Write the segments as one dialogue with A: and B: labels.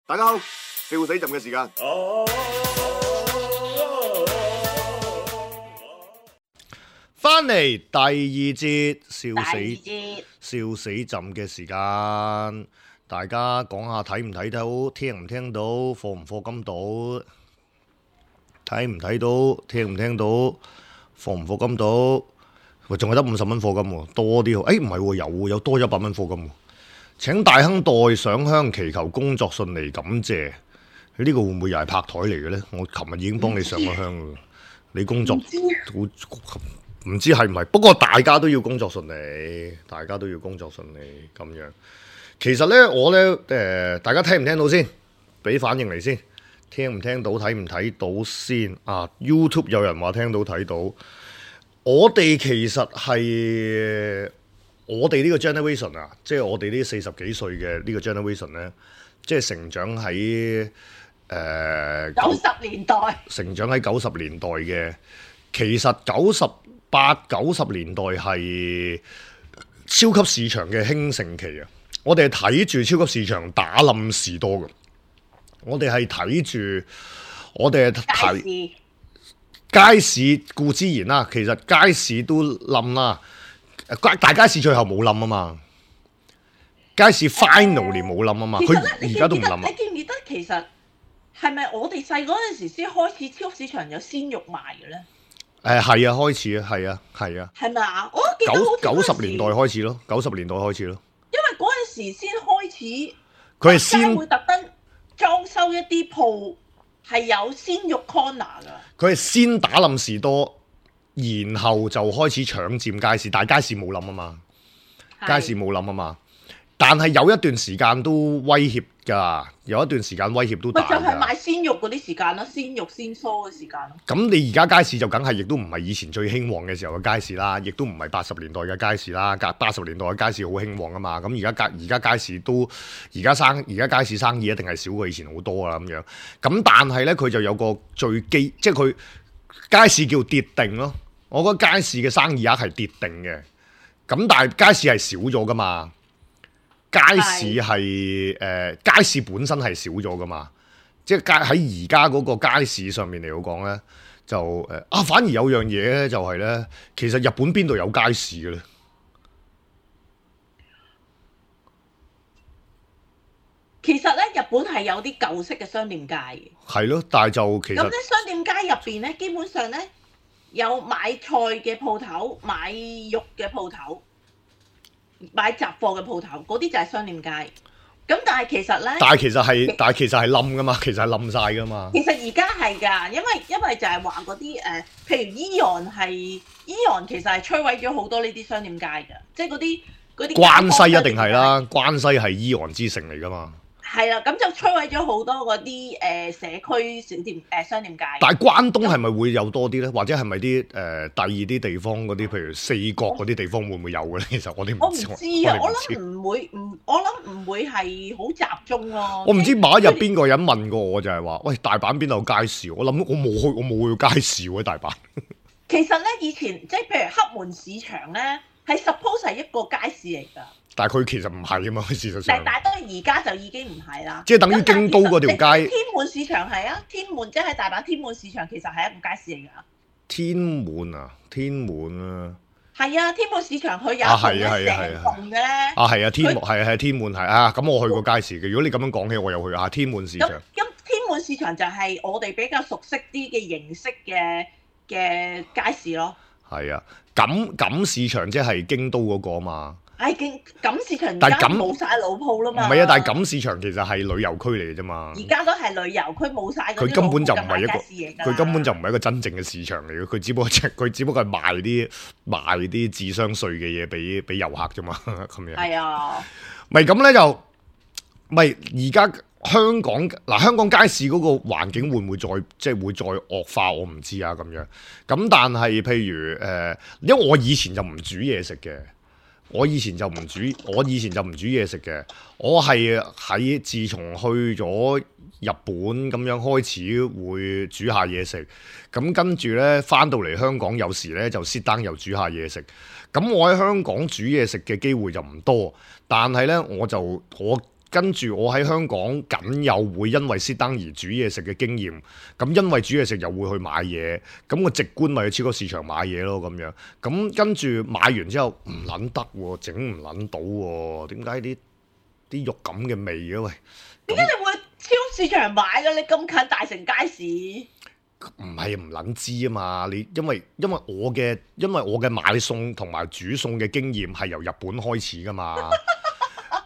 A: 大家好，笑死朕嘅時間。翻嚟第二節笑死朕嘅時間，大家講下睇唔睇到，聽唔聽到，課唔課金到，睇唔睇到，聽唔聽到，課唔課金到。喂，仲係得50蚊課金喎，多啲喎。唔係喎，有多100蚊課金喎。請大亨代上香祈求工作順利，感謝。呢個會唔會又係拍台嚟嘅呢？我琴日已經幫你上咗香㗎，你工作唔知係唔係？不過大家都要工作順利，大家都要工作順利咁樣。其實呢，我呢，大家聽唔聽到先？俾反應嚟先。聽唔聽到？睇唔睇到先？啊 YouTube 有人話聽到睇到。我哋其實係我哋呢個 generation 啊，即係我哋呢40幾歲嘅呢個 generation 呢，即係成長喺90年代，成長喺90年代嘅。其實98、90年代係超級市場嘅興盛期啊！我哋係睇住超級市場打冧士多嘅，我哋係睇住，我哋係睇街市固之然啦，其實街市都冧啦，大街市最後冇冧啊嘛，街市 finally 冇冧啊嘛，佢而家都唔冧啊！
B: 你記唔記得其實係咪我哋細嗰陣時先開始超級市場有鮮肉賣嘅咧？
A: 係啊，開始啊，係啊。
B: 係咪啊？我記得
A: 90年代開始咯，90年代開始咯。
B: 因為嗰陣時先開始，
A: 佢係先
B: 會特登裝修一啲鋪係有鮮肉 corner 噶。
A: 佢係先打冧士多，然後就開始搶佔街市，但係街市冇冧啊嘛，街市冇冧啊嘛。但係有一段時間都威脅㗎，有一段時間威脅都大㗎。
B: 就係賣鮮肉嗰啲時間咯，鮮肉鮮蔬嘅時間咯。咁
A: 你而家街市就梗係亦都唔係以前最興旺嘅時候嘅街市啦，亦都唔係80年代嘅街市啦。80年代嘅街市好興旺啊嘛。咁而家街市都而家街市生意一定係少過以前好多啦咁樣。咁但係呢，佢就有個最基，即係佢街市叫跌定咯。我覺得街市嘅生意額係跌定嘅。咁但係街市係少咗㗎嘛。街市係街市本身係少咗噶嘛，即係喺而家嗰個街市上面嚟講咧，就反而有樣嘢咧，就係咧，其實日本邊度有街市嘅咧？
B: 其實咧，日本係有啲舊式嘅商店街嘅。係
A: 咯，但係就其實
B: 咁咧，商店街入邊咧，基本上咧有買菜嘅鋪頭、買肉嘅鋪頭。買雜貨嘅鋪頭，嗰啲就係商店街。咁但係其實咧，但係其實係冧噶嘛，其實係冧晒噶嘛。其實而家係㗎，因為就係話嗰啲譬如Eon其實係摧毀咗好多呢啲商店街㗎，即係嗰啲關西一定係啦，關西係Eon之城嚟㗎嘛。係啦，咁就摧毀咗好多嗰啲社區小店商店街。但係關東係咪會有多啲咧？或者係咪啲第二啲地方嗰啲，譬如四國嗰啲地方會唔會有嘅咧？其實我哋唔知啊，我諗唔會係好集中咯。我唔知某一日邊個人問過我就係話：喂，大阪邊度有街市？我諗我冇去街市喎，大阪。其實咧，以前即係譬如黑門市場咧，係 suppose 係一個街市嚟㗎。但係佢其實唔係啊嘛，事實上。但係當然而家就已經唔係啦。即係等於京都嗰條街。天滿市場係啊，天滿即係大阪天滿市場，其實係一個街市嚟㗎。天滿啊！係啊，天滿市場佢有成棟嘅咧。係啊，天滿係啊，咁我去過街市嘅。如果你咁樣講起，我又去啊，天滿市場。咁天滿市場就係我哋比較熟悉啲嘅形式嘅街市咯。係啊，錦市場即係京都嗰個啊嘛。錦市場而家冇晒老鋪啦嘛。唔係啊，但係錦市場其實係旅遊區嚟嘅啫嘛。而家都係旅遊區，冇晒嗰啲老鋪。佢根本就唔係一個真正嘅市場嚟嘅，佢只不過係賣啲智商稅嘅嘢俾遊客啫嘛，咁樣。係啊。咪咁咧就，咪而家香港街市嗰個環境會唔會再惡化？我唔知啊咁樣。咁但係譬如因為我以前就唔煮嘢食嘅。我以前就唔煮嘢食嘅，我係喺自從去咗日本咁樣開始會煮下嘢食，咁跟住呢，返到嚟香港有時呢就sit down又煮下嘢食，咁我喺香港煮嘢食嘅機會就唔多，但係呢，我
A: 跟住我喺香港僅有會因為熄燈而煮嘢食嘅經驗，咁因為煮嘢食又會去買嘢，咁我直觀咪去超級市場買嘢咯咁樣。咁跟住買完之後唔撚得喎，整唔撚到喎，點解啲肉咁嘅味嘅喂？
B: 點解你會去超市場買嘅？你咁近大城街市？
A: 唔係唔撚知啊嘛！你因為我嘅買餸同埋煮餸嘅經驗係由日本開始噶嘛，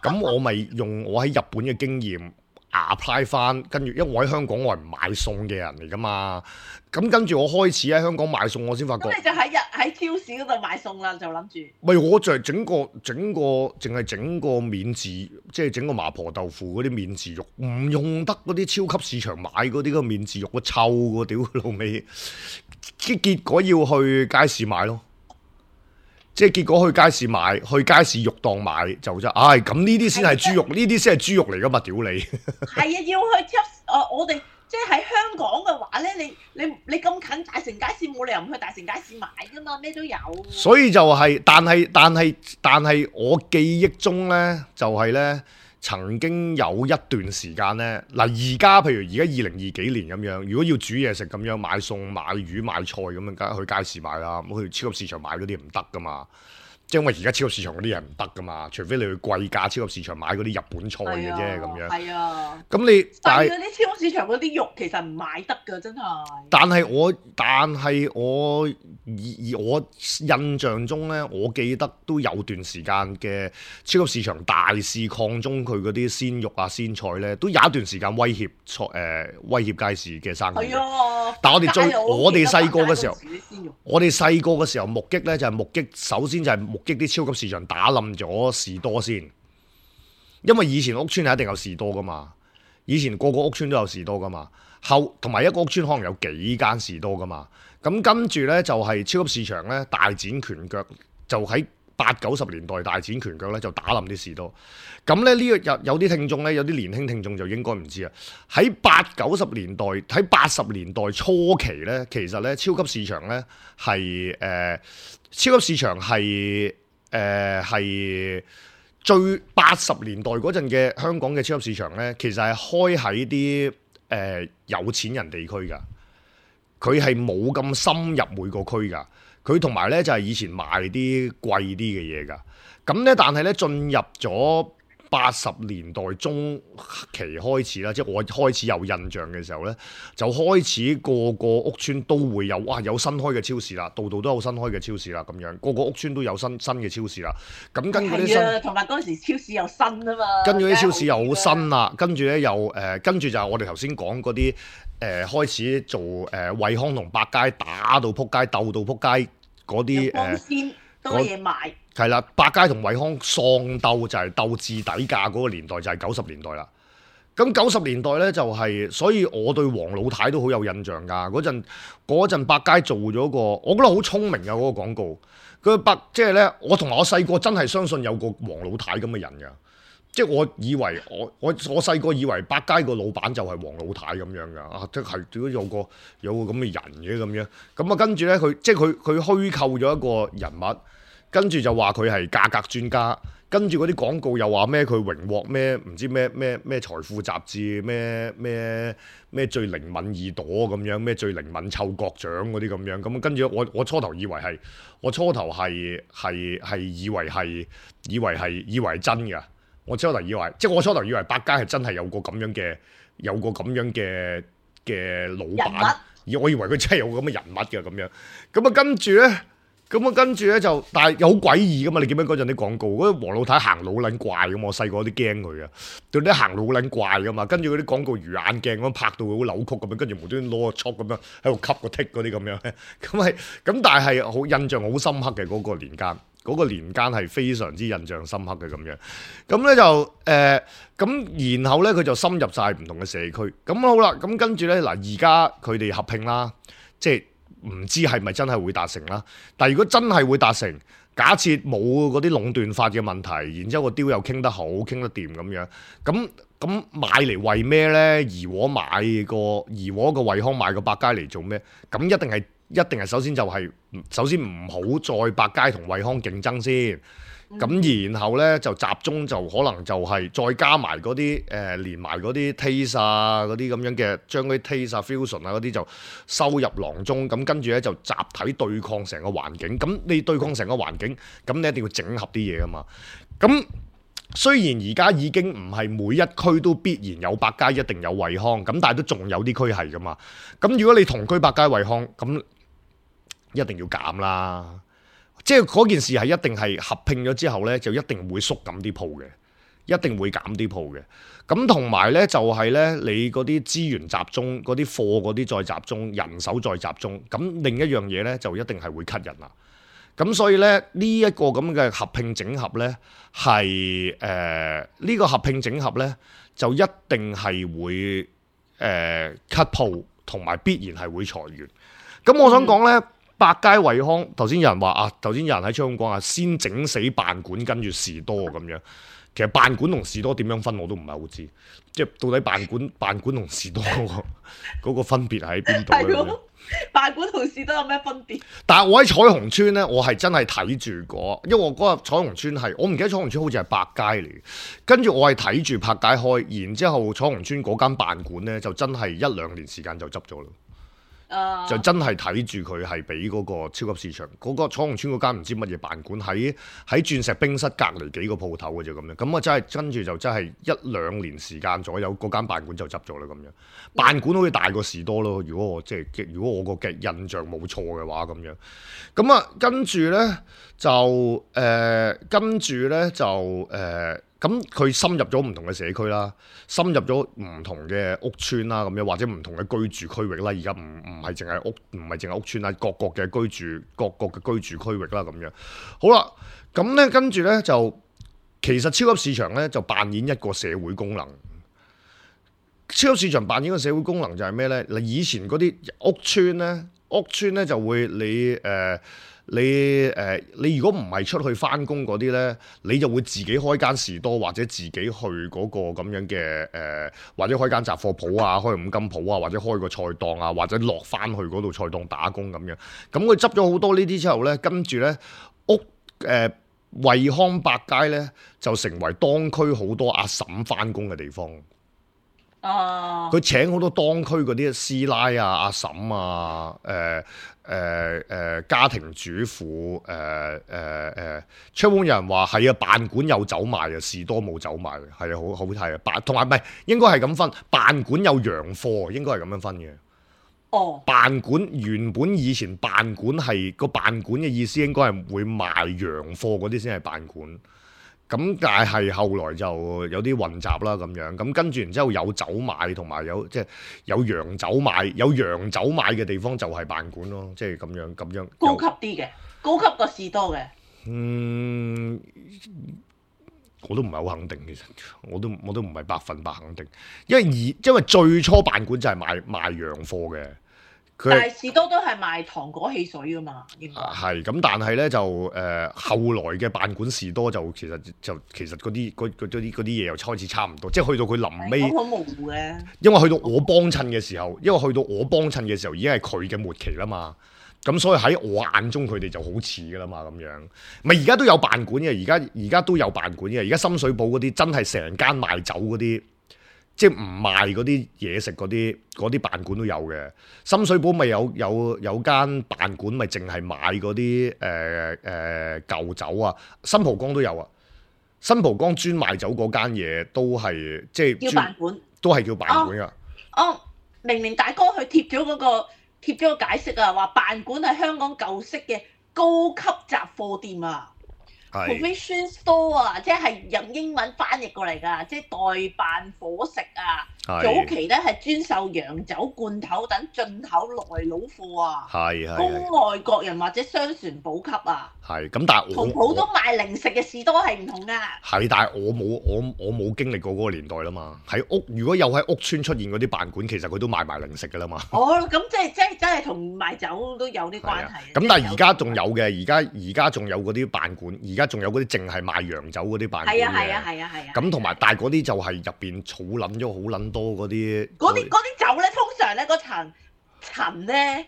A: 咁我咪用我喺日本嘅經驗 apply 翻，跟住因為我喺香港我係唔買餸嘅人嚟噶嘛，咁跟住我開始喺香港買餸，我先發覺。
B: 咁你就喺超市嗰度買餸啦，就諗住。
A: 咪我就係淨係整個免治，即係整個麻婆豆腐嗰啲免治肉，唔用得嗰啲超級市場買嗰啲個免治肉，個臭個屌老味，結果要去街市買咯。即係結果去街市買，去街市肉檔買就啫。唉，咁呢啲先係豬肉，呢啲先係豬肉嚟噶嘛？屌你！
B: 係啊，要去超我哋即係喺香港嘅話咧，你咁近大城街市，冇理由唔去大城街市買噶嘛，咩都有。
A: 所以就係、但係我記憶中咧，就係、咧曾經有一段時間咧，嗱而家譬如而家2020幾年咁樣，如果要煮嘢食咁樣買餸買魚買菜咁樣，梗係去街市買啦，咁去超級市場買嗰啲唔得噶嘛。即係因為而家超級市場嗰啲嘢唔得噶嘛，除非你去貴價超級市場買嗰啲日本菜嘅啫咁樣。
B: 係啊。
A: 咁你但係
B: 嗰啲超級市場嗰啲肉其實唔買得㗎，真係。
A: 但係我印象中咧，我記得都有段時間嘅超級市場大肆擴充佢嗰啲鮮肉啊鮮菜咧，都有一段時間威脅街市嘅生意。
B: 係啊。
A: 但係我哋細個嘅時候，
B: 我哋細
A: 個嘅時候目擊咧就係目擊，首先就係目擊啲超級市場打冧咗士多先，因為以前屋村係一定有士多噶嘛，以前個屋村都有士多噶嘛，同埋一個屋村可能有幾間士多噶嘛，咁跟住咧就係超級市場咧大展拳腳，就喺80、90年代大展拳腳咧就打冧啲士多。咁咧呢個有啲聽眾咧，有啲年輕聽眾就應該唔知啊。喺80、90年代，喺80年代初期咧，其實咧超級市場咧超級市場係最80年代嗰陣嘅香港嘅超級市場咧，其實係開喺啲有錢人地區㗎，佢係冇咁深入每個區㗎。佢同埋咧就係以前賣啲貴啲嘅嘢㗎。咁咧但係咧進入咗80年代中期開始啦，即係我開始有印象嘅時候咧，就開始個個屋村都會有有新開嘅超市啦，度度都有新開嘅超市啦，咁樣個個屋村都有新嘅超市啦。咁跟住啲新，
B: 同埋嗰陣時超市又新啊嘛。
A: 跟住啲超市又好新啦，跟住咧又跟住就係我哋頭先講嗰啲開始做惠康同百佳打到撲街鬥到撲街嗰啲
B: 多嘢賣。
A: 係啦，百佳同惠康喪鬥就係鬥至底價嗰個年代就係90年代啦。咁90年代咧就係，所以我對黃老太都好有印象㗎。嗰陣百佳做咗個，我覺得好聰明㗎嗰個廣告。即係咧，我同埋我細個真係相信有個黃老太咁嘅人㗎。即係我以為我細個以為百佳個老闆就係黃老太咁樣㗎。即係如果有個咁嘅人嘅咁樣。咁啊跟住咧佢虛構咗一個人物。跟住就話佢係價格專家，跟住嗰啲廣告又話咩佢榮獲咩唔知咩財富雜誌咩最靈敏耳朵咁樣，咩最靈敏嗅覺獎嗰啲咁樣，咁跟住我初頭以為係真㗎，我初頭以為百佳係真係有個咁樣嘅老闆，而我以為佢真係有個咁嘅人物嘅咁樣，咁啊跟住咧就，但係又好詭異噶嘛！你記唔記得嗰陣啲廣告？嗰啲黃老太行老撚怪咁，我細個有啲驚佢啊！對啲行老撚怪噶嘛，跟住嗰啲廣告魚眼鏡咁拍到佢好扭曲咁樣，跟住無端端攞個戳咁樣喺度吸個剔嗰啲咁樣，咁但係好印象好深刻嘅嗰個年間，嗰個年間係非常之印象深刻嘅咁樣。咁咧就咁然後咧佢就深入晒唔同嘅社區。咁好啦，咁跟住咧嗱，而家佢哋合併啦，即係。唔知係咪真係會達成啦？但係如果真係會達成，假設冇嗰啲壟斷法嘅問題，然之後個雕又傾得好、傾得掂咁樣，咁買嚟為咩呢？怡和個惠康買個百佳嚟做咩？咁一定係首先唔好再百佳同惠康競爭先。咁然後咧就集中就可能就係再加埋嗰啲連埋嗰啲 taste 啊嗰啲咁樣嘅，將嗰啲 taste 啊 fusion 啊嗰啲就收入囊中，咁跟住咧就集體對抗成個環境。咁你對抗成個環境，咁你一定要整合啲嘢噶嘛。咁雖然而家已經唔係每一區都必然有百佳一定有惠康，咁但係都仲有啲區係噶嘛。咁如果你同區百佳惠康，咁一定要減啦。即係嗰件事係一定係合併咗之後呢，就一定會縮減啲鋪嘅，一定會減啲鋪嘅。咁同埋呢，就係呢，你嗰啲資源集中，嗰啲貨嗰啲再集中，人手再集中。咁另一樣嘢呢，就一定係會 cut 人啦。咁所以呢，呢一個咁嘅合併整合呢，係呢個合併整合呢，就一定係會cut 鋪，同埋必然係會裁員。咁我想講呢。百佳惠康，頭先有人話啊，頭先有人喺窗講啊，先整死辦館跟住士多咁樣。其實辦館同士多點樣分我都唔係好知，即係到底辦館同士多嗰個分別喺邊度咧？
B: 辦館同士多有咩分別？
A: 但係我喺彩虹村咧，我係真係睇住過，因為我嗰個彩虹村係我唔記得彩虹村好似係百佳嚟嘅，跟住我係睇住百佳開，然之後彩虹村嗰間辦館咧就真係1、2年時間就執咗啦。就真係睇住佢係俾嗰個超級市場嗰個彩虹村嗰間唔知乜嘢辦館喺鑽石冰室隔離幾個鋪頭嘅啫咁樣，咁啊真係跟住就真係1、2年時間左右嗰間辦館就執咗啦咁樣。辦館好似大過士多咯，如果我個嘅印象冇錯嘅話咁樣。咁啊跟住咧就咁佢深入咗唔同嘅社區啦，深入咗唔同嘅屋邨啦，咁樣或者唔同嘅居住區域啦。而家唔係淨係屋邨啦，各個嘅居住區域啦，咁樣。好啦，咁咧跟住咧就其實超級市場咧就扮演一個社會功能。超級市場扮演嘅社會功能就係咩咧？嗱，以前嗰啲屋邨咧就會你如果唔係出去返工嗰啲咧，你就會自己開間士多或者自己去嗰個咁樣嘅或者開間雜貨鋪啊，開五金鋪啊，或者開個菜檔啊，或者落返去嗰度菜檔打工咁樣。咁佢執咗好多呢啲之後咧，跟住咧惠康百佳咧就成為當區好多阿嬸返工嘅地方。佢請好多當區嗰啲師奶啊、阿嬸啊、家庭主婦出門有人話係啊，辦館有走賣啊，士多冇走賣嘅，係啊，好睇啊，同埋唔係應該係咁分，辦館有洋貨，應該係咁樣分嘅。辦館原本以前辦館係個辦館嘅意思，應該係會賣洋貨嗰啲先係辦館。咁但係後來就有啲混雜啦咁樣，咁跟住然之後有酒賣同埋有即係有洋酒賣嘅地方就係辦館咯，即係咁樣
B: 高級啲嘅，高級過士多嘅。
A: 我都唔係好肯定，其實我都唔係100%肯定，因為最初辦館就係賣洋貨嘅。
B: 但係士多都係賣糖果汽水噶嘛，應該
A: 係咁，但係咧就後來嘅辦館士多就其實嗰啲嘢又開始差唔多，即係去到佢臨尾
B: 好模糊嘅。
A: 因為去到我幫襯嘅時候，已經係佢嘅末期啦嘛，咁所以喺我眼中佢哋就好似噶啦嘛咁樣。咪而家都有辦館嘅，而家都有辦館嘅，而家深水埗嗰啲真係成間賣酒嗰啲。即係唔賣嗰啲嘢食嗰啲辦館都有嘅，深水埗咪有間辦館咪淨係賣嗰啲舊酒啊，新蒲崗都有啊，新蒲崗專賣酒嗰間嘢都係即係
B: 叫辦館，
A: 都係叫辦館噶。
B: 明大哥佢貼咗個解釋啊，話辦館係香港舊式嘅高級雜貨店啊。Provision store 啊，即係用英文翻譯過嚟㗎，即係代辦伙食啊。早期咧係專售洋酒罐頭等進口來佬貨啊，供外國人或者商船補給啊。
A: 係咁，但係
B: 同好多賣零食嘅士多係唔同㗎。
A: 係，但係我冇經歷過嗰個年代啦嘛。如果有喺屋邨出現嗰啲辦館，其實佢都賣埋零食㗎啦嘛。
B: 咁即係真係同賣酒都有啲關係。咁
A: 但係而家仲有嘅，而家仲有嗰啲辦館，而家仲有嗰啲淨係賣洋酒嗰啲辦館嘅。係啊。咁同埋，但係嗰啲就係入邊儲撚咗好撚多嗰啲。嗰啲
B: 酒咧，通常咧嗰層咧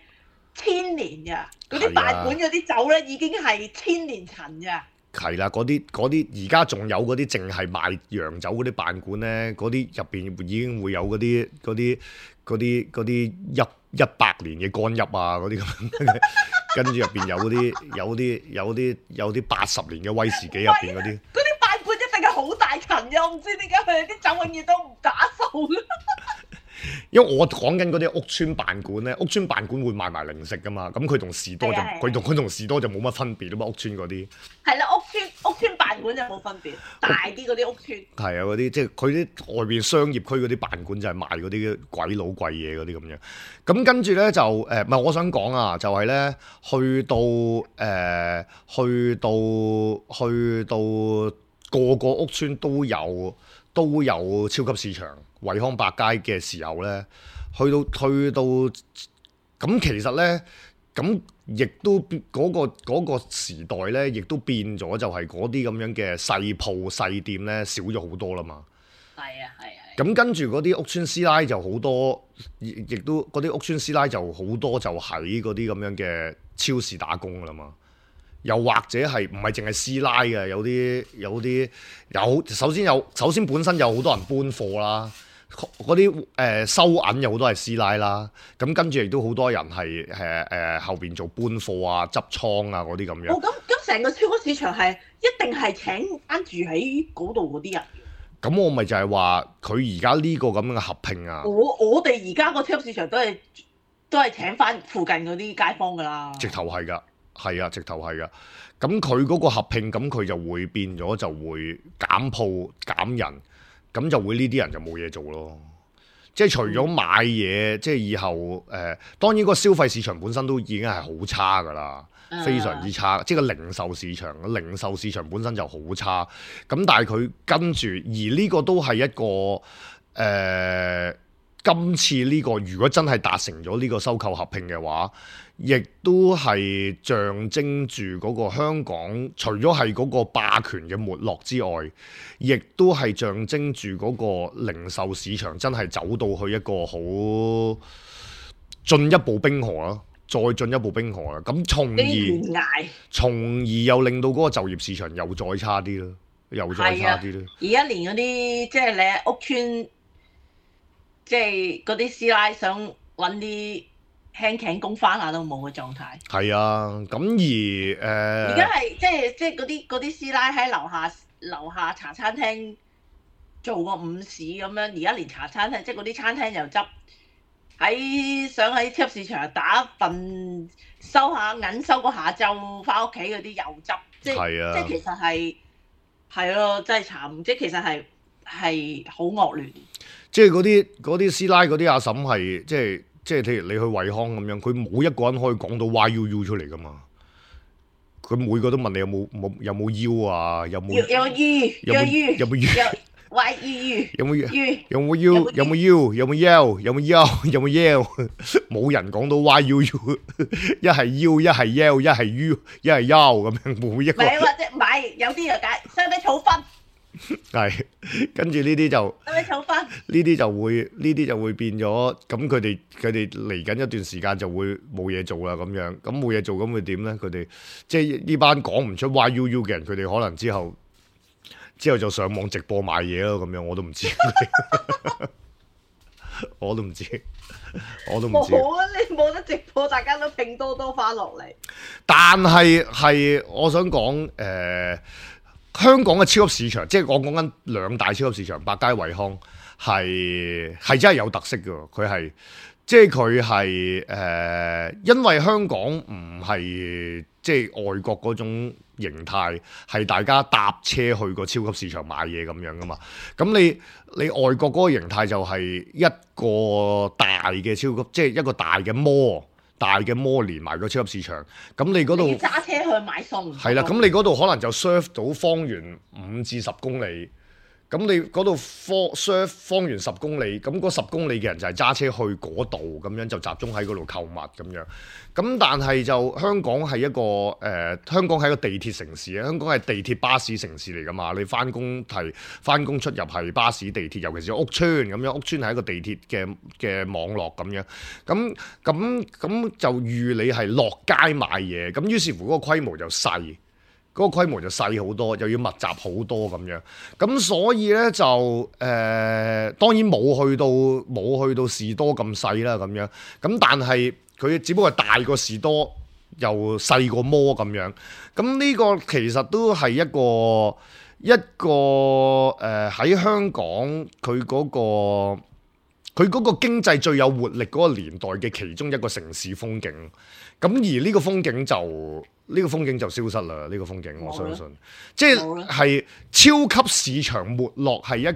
B: 1000年㗎。嗰啲辦館嗰啲酒咧已經係1000年陳㗎。
A: 係啦，嗰啲而家仲有嗰啲淨係賣洋酒嗰啲辦館咧，嗰啲入邊已經會有嗰啲100年嘅干邑啊，嗰啲咁，跟住入邊有啲80年嘅威士忌入邊嗰啲。
B: 嗰啲辦館一定係好大層嘅，我唔知點解佢哋啲酒永遠都唔打掃。
A: 因為我講緊嗰啲屋村辦館咧，屋村辦館會賣埋零食噶嘛，咁佢同士多就
B: 係啊
A: 佢同士多就冇乜分別啊嘛，屋村嗰啲。
B: 係啦，屋村辦館就冇分別，大啲嗰啲屋村。
A: 係啊，嗰啲即係佢啲外邊商業區嗰啲辦館就係賣嗰啲鬼佬貴嘢嗰啲咁樣。咁跟住咧就唔係我想講啊，就係咧去到個個屋村都有超級市場。惠康百佳嘅時候咧，去到咁其實咧，咁亦都嗰個時代咧，亦都變咗，就係嗰啲咁樣嘅細鋪細店咧少咗好多啦嘛。
B: 係啊，係啊。
A: 咁跟住嗰啲屋村師奶就好多，亦都嗰啲屋村師奶就好多就喺嗰啲咁樣嘅超市打工噶啦嘛。又或者係唔係淨係師奶嘅，首先本身有好多人搬貨啦。嗰啲收銀有好多係師奶啦，咁跟住亦都好多人係後邊做搬貨啊、執倉啊嗰啲咁樣。
B: 咁成個超級市場係一定係請翻住喺嗰度嗰啲人。
A: 咁我咪就係話佢而家呢個咁樣嘅合併啊。
B: 我哋而家個超級市場都係請翻附近嗰啲街坊㗎啦。
A: 直頭係㗎，係啊，直頭係㗎。咁佢嗰個合併，咁佢就會變咗，就會減鋪減人。咁就會呢啲人就冇嘢做咯，即係除咗買嘢，即係以後當然個消費市場本身都已經係好差㗎啦，非常之差，即係個零售市場本身就好差，咁但係佢跟住，而呢個都係一個今次呢個如果真係達成咗呢個收購合併嘅話，亦都係象徵住嗰個香港，除咗係嗰個霸權嘅沒落之外，亦都係象徵住嗰個零售市場真係走到去一個好進一步冰河啦，再進一步冰河啦。咁從而又令到嗰個就業市場又再差啲啦，又再差啲啦。
B: 而家連嗰啲即係你喺屋村，即係嗰啲師奶想揾啲輕頸工翻下都冇嘅狀態。
A: 係啊，咁
B: 而家係即係嗰啲師奶喺樓下茶餐廳做個午市咁樣，而家連茶餐廳即係嗰啲餐廳又執，想喺超級市場打一份收下銀，收個下晝翻屋企嗰啲又執，即係其實係咯，真係慘，即係其實係好惡劣。
A: 即係嗰啲師奶嗰啲阿嬸係即係譬如你去惠康咁樣，佢冇一個人可以講到 YUU 出嚟噶嘛。佢每個都問你有冇腰啊，有冇腰，有冇腰，有冇腰，有冇腰，有冇腰，冇人講到 YUU， 一係腰，一係腰，一係 U， 一係腰咁樣，每一個。
B: 唔係有啲就解，相比草分。
A: 係，跟住呢啲就呢啲就會變咗，咁佢哋嚟緊一段時間就會冇嘢做啦，咁樣，咁冇嘢做咁會點咧？佢哋即係呢班講唔出 YUU 嘅人，佢哋可能之後就上網直播賣嘢咯，咁樣我都唔知，我都唔知。
B: 冇啊！你冇得直播，大家都拼多多翻落嚟。
A: 但係我想講香港嘅超級市場，即係我講緊兩大超級市場，百佳、惠康，係真係有特色嘅。佢係即係佢係因為香港唔係即係外國嗰種形態，係大家搭車去個超級市場買嘢咁樣噶嘛。咁你外國嗰個形態就係一個大嘅超級，即係一個大嘅摩連埋個超級市場，咁你嗰度
B: 揸車去買餸，
A: 係啦，咁你嗰度可能就 serve 到方圓5至10公里，咁你嗰度 serve 方圓10公里，咁嗰10公里嘅人就係揸車去嗰度，咁樣就集中喺嗰度購物咁樣。咁但係就香港係一個香港係一個地鐵城市啊，香港係地鐵巴士城市嚟㗎嘛。你翻工出入係巴士地鐵，尤其是屋邨咁樣，屋邨係一個地鐵嘅網絡咁樣。咁就預你係落街買嘢，咁於是乎嗰個規模就細。嗰個規模就細好多，又要密集好多咁樣。咁所以咧就當然冇去到士多咁細啦咁樣。咁但係佢只不過係大過士多，又細過摩咁樣。咁呢個其實都係一個喺香港佢嗰個經濟最有活力嗰個年代嘅其中一個城市風景。咁而呢個風景就消失啦。呢個風景我相信，即係超級市場沒落係一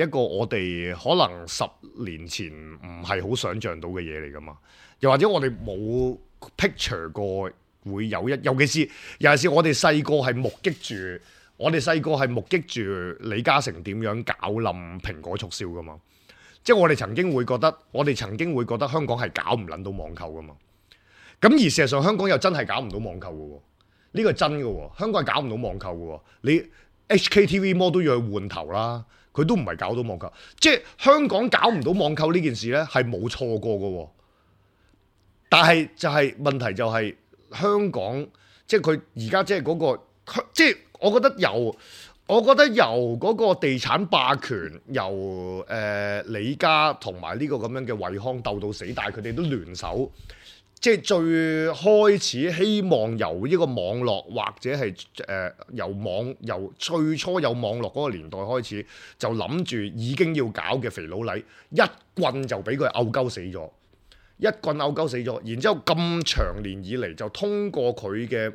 A: 個我哋可能10年前唔係好想像到嘅嘢嚟噶嘛。又或者我哋冇 picture 過會有尤其是我哋細個係目擊住李嘉誠點樣搞冧蘋果促銷噶嘛。即係我哋曾經會覺得香港係搞唔撚到網購噶嘛。咁而事實上香港又真係搞唔到網購嘅喎，呢個係真嘅喎。香港係搞唔到網購嘅喎，你 HKTV Mall 都要去換頭啦，佢都唔係搞到網購。即係香港搞唔到網購呢件事呢，係冇錯過嘅喎。但係問題就係香港，即係佢而家即係嗰個，即係我覺得由嗰個地產霸權，由李家同埋呢個咁樣嘅惠康鬥到死，但係佢哋都聯手，即係最開始希望由呢個網絡或者係由最初有網絡嗰個年代開始，就諗住已經要搞嘅肥佬黎，一棍就俾佢毆鳩死咗。然之後咁長年以嚟就通過佢嘅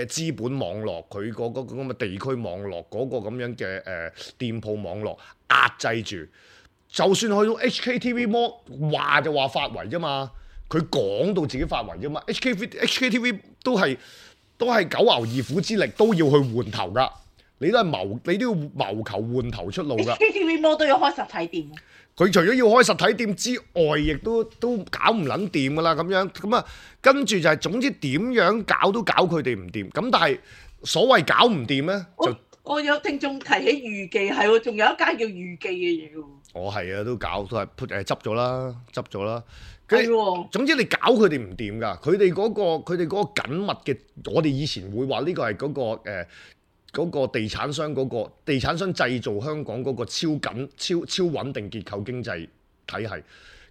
A: 資本網絡，佢嗰個咁嘅地區網絡嗰個咁樣嘅店鋪網絡壓制住，就算去到 HKTV Mall 話就話發圍啫嘛，佢講到自己發圍啫嘛。HKTV 都係九牛二虎之力都要去換頭噶，你都要謀求換頭出路噶。
B: HKTV Mall 都要開實體店。
A: 佢除咗要開實體店之外，亦都搞唔撚掂噶啦咁樣，咁啊跟住就係總之點樣搞都搞佢哋唔掂。咁但係所謂搞唔掂咧，就
B: 我有聽眾提起預記係喎，仲有一間叫預記嘅嘢喎。
A: 我係啊，都執咗啦。
B: 係喎。
A: 總之你搞佢哋唔掂㗎，佢哋嗰個緊密嘅，我哋以前會話呢個係嗰個地產商製造香港嗰個超穩定結構經濟體系，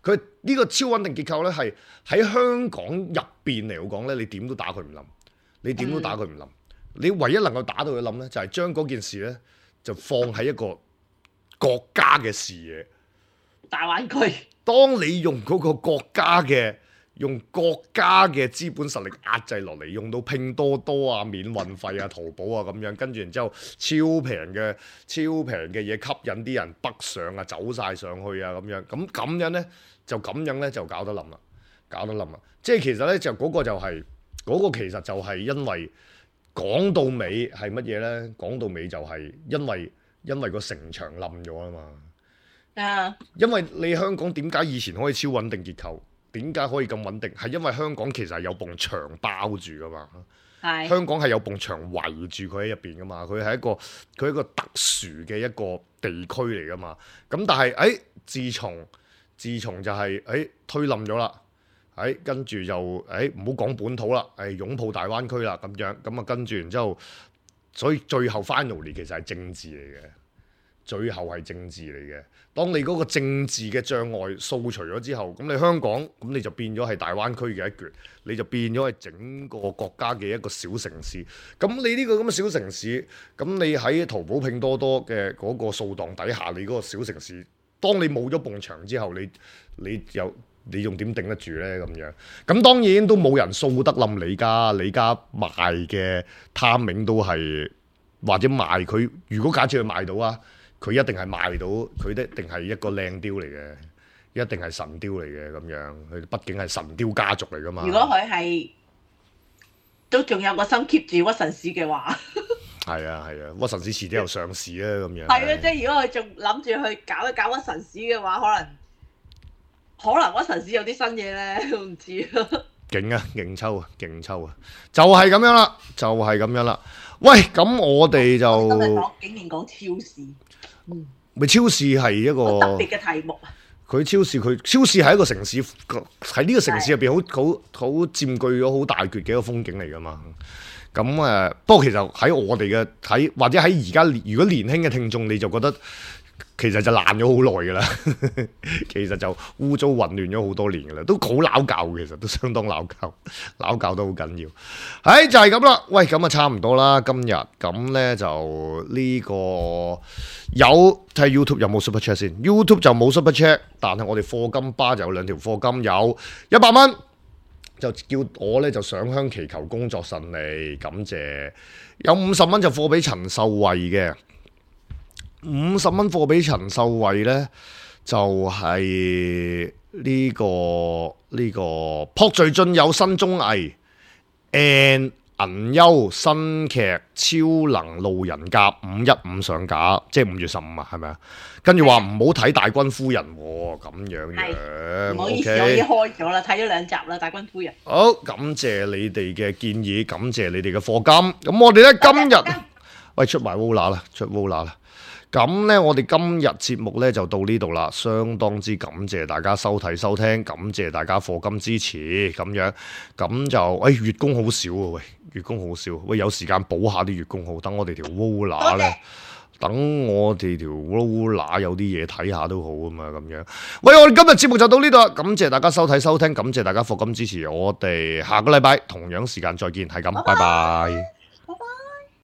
A: 佢呢個超穩定結構咧係喺香港入邊嚟講咧，你點都打佢唔冧，你唯一能夠打到佢冧咧，就係將嗰件事咧就放喺一個國家嘅視野，
B: 大灣區。
A: 當你用嗰個國家嘅資本實力壓制落嚟，用到拼多多啊、免運費啊、淘寶啊咁樣，跟住然之後超平嘅嘢吸引啲人北上啊，走晒上去啊咁樣，咁樣咧就搞得冧啦，即係其實咧就嗰個其實就係因為講到尾係乜嘢咧？講到尾就係因為個城牆冧咗啊嘛，因為你香港點解以前可以超穩定結構？點解可以咁穩定？係因為香港其實係有埲牆包住噶嘛，香港係有埲牆圍住佢喺入邊噶嘛，佢係一個特殊嘅一個地區嚟噶嘛。咁但係自從就係推冧咗啦，跟住就唔好講本土啦，擁抱大灣區啦咁樣，咁啊跟住然之後，所以最後 finally 其實係政治嚟嘅。最後係政治嚟嘅。當你嗰個政治嘅障礙掃除咗之後，咁你香港咁你就變咗係大灣區嘅一橛，你就變咗係整個國家嘅一個小城市。咁你呢個咁嘅小城市，咁你喺淘寶拼多多嘅嗰個掃蕩底下，你嗰個小城市，當你冇咗埲牆之後，你仲點頂得住呢？咁樣，咁當然都冇人掃得冧李家賣嘅貪名都係，或者賣佢，如果假設佢賣到啊。佢一定係賣到，佢一定係一個靚雕嚟嘅，一定係神雕嚟嘅咁樣。佢畢竟係神雕家族嚟噶嘛。
B: 如果佢係都仲有個心 keep 住屈臣氏嘅話，
A: 係啊，屈臣氏遲啲又上市啊咁樣。
B: 係啊，即係如果佢仲諗住去搞一搞屈臣氏嘅話，可能屈臣氏有啲新嘢咧，我唔知啊。
A: 勁抽啊！就係咁樣啦，喂，咁我哋就
B: 今日竟然講超市。
A: 咪超市係一個
B: 特別嘅題目啊！
A: 佢超市係一個城市，喺呢個城市入邊好佔據咗好大橛嘅一個風景嚟噶嘛。咁不過其實喺我哋嘅睇，或者喺而家如果年輕嘅聽眾，你就覺得其實就爛咗好耐噶啦，其實就污糟混亂咗好多年噶啦，都好撈教，其實都相當撈教都好緊要。就係咁啦。喂，咁啊差唔多啦，今日咁呢，就呢個有睇 YouTube 有冇 Super Chat 先 ？YouTube 就冇 Super Chat，但係我哋課金巴就有2條課金，有100蚊。就叫我咧就上香祈求工作順利，感謝。有50蚊就貨俾陳秀慧嘅，50蚊貨俾陳秀慧咧就係呢個朴敘俊有新綜藝 and 銀優新劇超能路人甲515上架，即係5月15啊，係咪啊？跟住話唔好睇大軍夫人喎，咁樣
B: 唔好意思，
A: OK
B: 我已經開咗啦，睇咗2集啦，大軍夫人。
A: 好，感謝你哋嘅建議，感謝你哋嘅課金。咁我哋咧今日喂出埋 Vola 啦，出 Vola 啦。咁咧我哋今日節目咧就到呢度啦，相當之感謝大家收睇收聽，感謝大家課金支持，咁樣咁就月供好少喎，喂月供好少，喂有時間補下啲月供號，等我哋條 Vola 咧。等我哋條 Vola 有啲嘢睇下都好啊嘛，咁樣。喂，我哋今日節目就到呢度啦，感謝大家收睇收聽，感謝大家課金支持，我哋下個禮拜同樣時間再見，係咁，拜拜。
B: 拜拜。